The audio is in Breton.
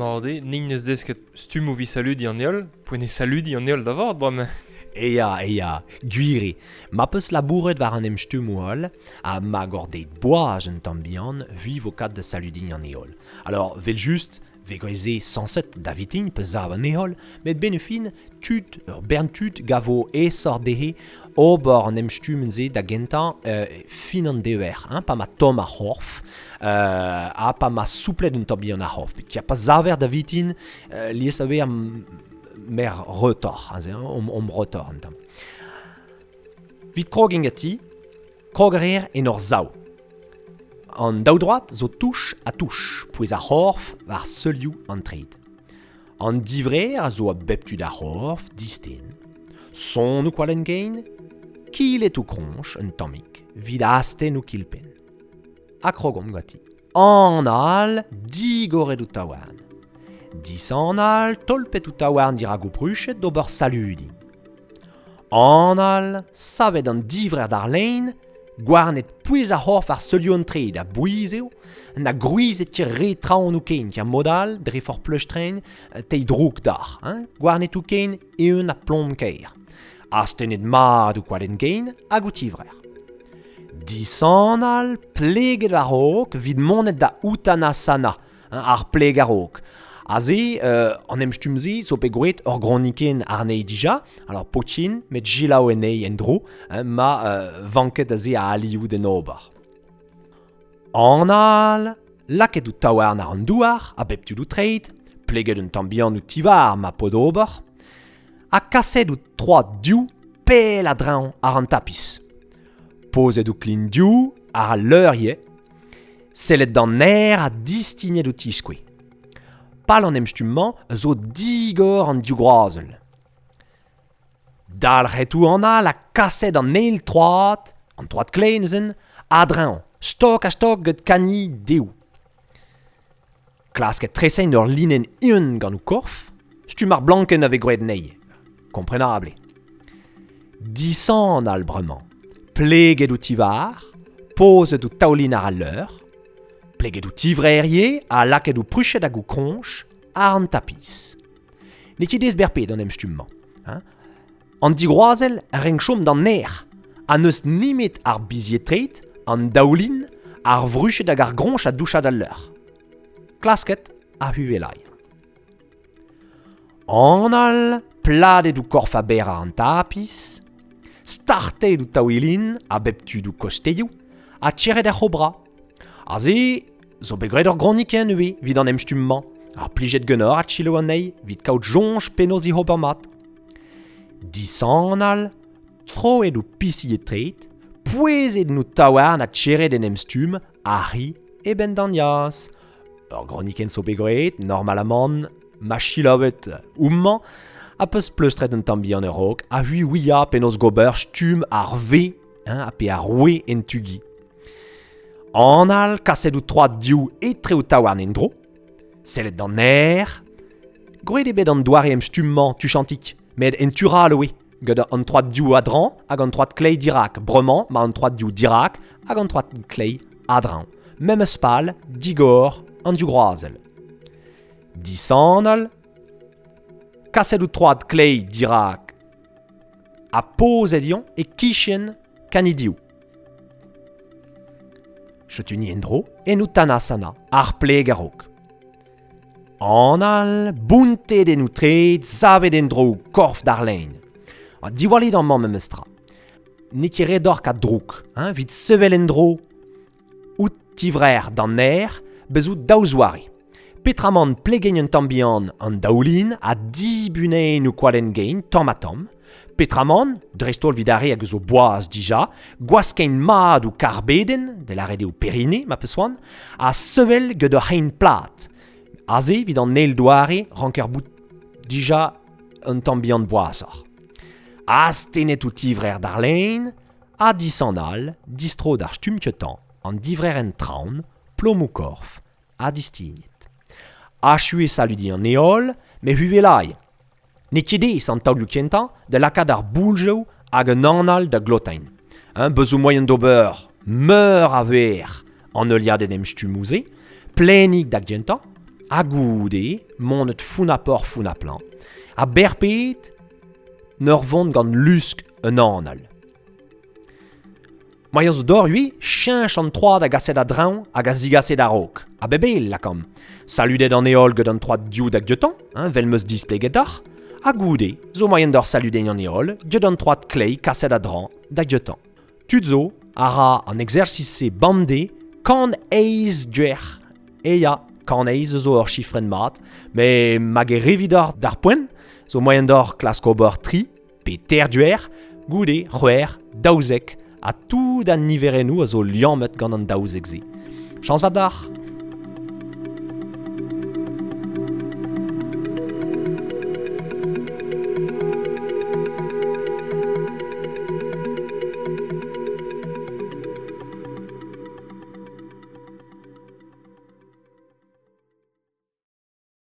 Mat eo, nin neus desket stummoù 'vit saludiñ an heol, poent eo saludiñ an heol da vat bremañ. Eya, eya, gwir eo. Ma 'peus labouret war an emstummoù all, ha ma gor deit boaz un tamm bihan, 'vi 'vo kat da saludiñ an heol. Alors, 'vel-just, 'vez graet se sañset da vitin pe sav an heol, met 'benn ar fin, tud, ur bern tud 'gavo aesoc'h dezhe ober an emstummenn-se da gentañ fin an dever, hein, pa ma tomm ar c'horf, ha pa ma souplet un tamm bihan ar c'horf. Peogwir pa saver da vitin, lies a wech mer retoc'h, aze, hein, omp retoc'h un tamm. Vit krogiñ ganti, krog a reer en ur sav. An daoudroad zo touch ha touch, pouez ar c'horf war seulioù an treid. An divrec'h a zo a bep tu d'ar c'horf, disten. Sonn ho kwalenn-gein, kilet ho kroñj un tammig, 'vit astenn ho kilpenn. Ha krogomp ganti. Anal, digoret ho taouarn. Disanal, tolpet ho taouarn dirak ho pruched d'ober saludiñ. Anal, savet an divrec'h d'ar lein, gouarnet pouez ar c'horf ar seulioù an treid a bouez eo, na gwrizet ket re traoñ ho kein, ya mod all, dre forzh pleustren, teiñ droug deoc'h, hein, gouarnet ho kein eeun ha plom-kaer. Astennet mat ho kwalenn-gein hag ho tivrec'h. Disanal, pleget war-raok evit monet da Uttanasana, hein, ar pleg a-raok. Aze, an emstumm-se zo bet gwraet ur gronikenn àrnezhi dija, alors potin met selaou anezhi en-dro, hein, ma vanket aze a alioù d'en ober. Anal, lakaet ho taouarn àr an douar, a bep tu d'ho treid, pleget un tamm bihan ho tivhar ma po d'ober, ha kaset ho troad div pell a-dreñv àr an tapis. Pozet ho klin div àr al leur ivez, sellet d'an aer ha distignet ho tiskoue. Pal an emstumm-mañ zo digor an div groazell. Dalc'het ho anal ha kaset an eil troad, an troad kleiz neuze, a-dreñv, stok-ha-stok gant kani dehoù. Klasket tresañ ur linenn eeun gant ho korf, stumm ar blankenn a vez graet anezhi, komprenabl eo. Disanal bremañ, pleget ho tivhar, pozet ho taoulin àr al leur, pleget ho tivrec'h ivez ha lakaet ho pruched hag ho kroñj àr an tapis. N'eo ket aes berped an emstumm-mañ. Hein? An digroazell a renk chom d'an nec'h ha n'eus nemet ar bizied-treid, an daoulin, ar vruched hag ar groñj a doucha d'al leur. Klasket ha huvelai. Anal, pladet ho korf a-berr àr an tapis, startet ho taouilin a bep tu d'ho kostezioù ha tcherret ar c'hobra. Aze zo bet graet ur gronikenn ivez evit an emstumm-mañ. Ar plijet ganeoc'h adselaou anezhi evit kaout soñj penaos he ober mat. Disanal, troet ho pizied-treid, pouezet en ho taouarn ha tcherret en emstumm arri e benn d'an yaz. Ur gronikenn zo bet graet, normalamant, ma selaouet homañ, ha peus pleustret un tamm bihan a-raok, ha c'hwi ouia penaos gober stumm ar V hein, ha pe ar W en tu-gi. Anal, kaset ho troad div etre ho taouarn en-dro, sellet d'an aer. Gwraet eo bet an doare emstumm-mañ tuchantik, met en tu 'rall oe, gant an troad div a-dreñv hag an troad kleiz dirak. Bremañ 'ma an troad div dirak hag an troad kleiz a-dreñv. Memes pal, digor an div groazell. Disanal, kaset ho troad kleiz dirak ha pozet eñ e-kichen kanidiv. Setu ni en-dro en Uttanasana, ar pleg a-raok. Anal, bountet en ho treid, savet en-dro korf d'ar lein. Ha diwallit amañ memes tra. N'eo ket ret deoc'h kaout droug, hein, evit sevel en-dro ho tivrec'h d'an aer, bez zo daou zoare. Petramant plegeñ un tamm bihan an daoulin ha dibuneñ ho kwalenn-gein tamm-ha-tamm. Petramant, dreist-holl evit ar re hag zo boaz dija, gwaskeñ mat ho karbedenn, da lâret eo perine, ma peus c'hoant, ha sevel gant ur c'hein plat. Aze, evit an eil doare, ranker bout dija un tamm bihan boazoc'h. Astennet ho tivrec'h d'ar lein, ha disanal, distro d'ar stumm ketañ, an divrec'h en traoñ, plom ho korf, ha distignet. Achu eo saludiñ an heol, met huvelai. N'eo ket aes an taolioù kentañ da lakaat ar bouljoù hag an anal da glotañ. Hein, bez zo moaien d'ober meur a wech an heuliadenn emstummoù-se, plaenik da gentañ, Ha goude, monet founapor founaplan, ha berpet n'ur vont gant lusk un anal. Moaien zo d'or ui, cheñch an troad hag aset a-dreñv hag a zigaset a-raok. A bebel, lakam. Saludet an heol get an troad div hag dioutañ, hein, vel meus displeget d'ac'h. Ha goude, zo moaien d'or saludeñ an heol get an troad klei kaset a-dreñv da dioutañ. Tud zo a ra an exercice bamde kan eiz duer. E ya, kan eiz zo ur chifren mat, me mag e revidor d'ar poent, zo moaien d'or klask ober tri, pe ter duer, goude, c'hwer, daouzek, ha tout an niverennoù a zo liammet gant an daouzek se. Chañs vat d'ac'h!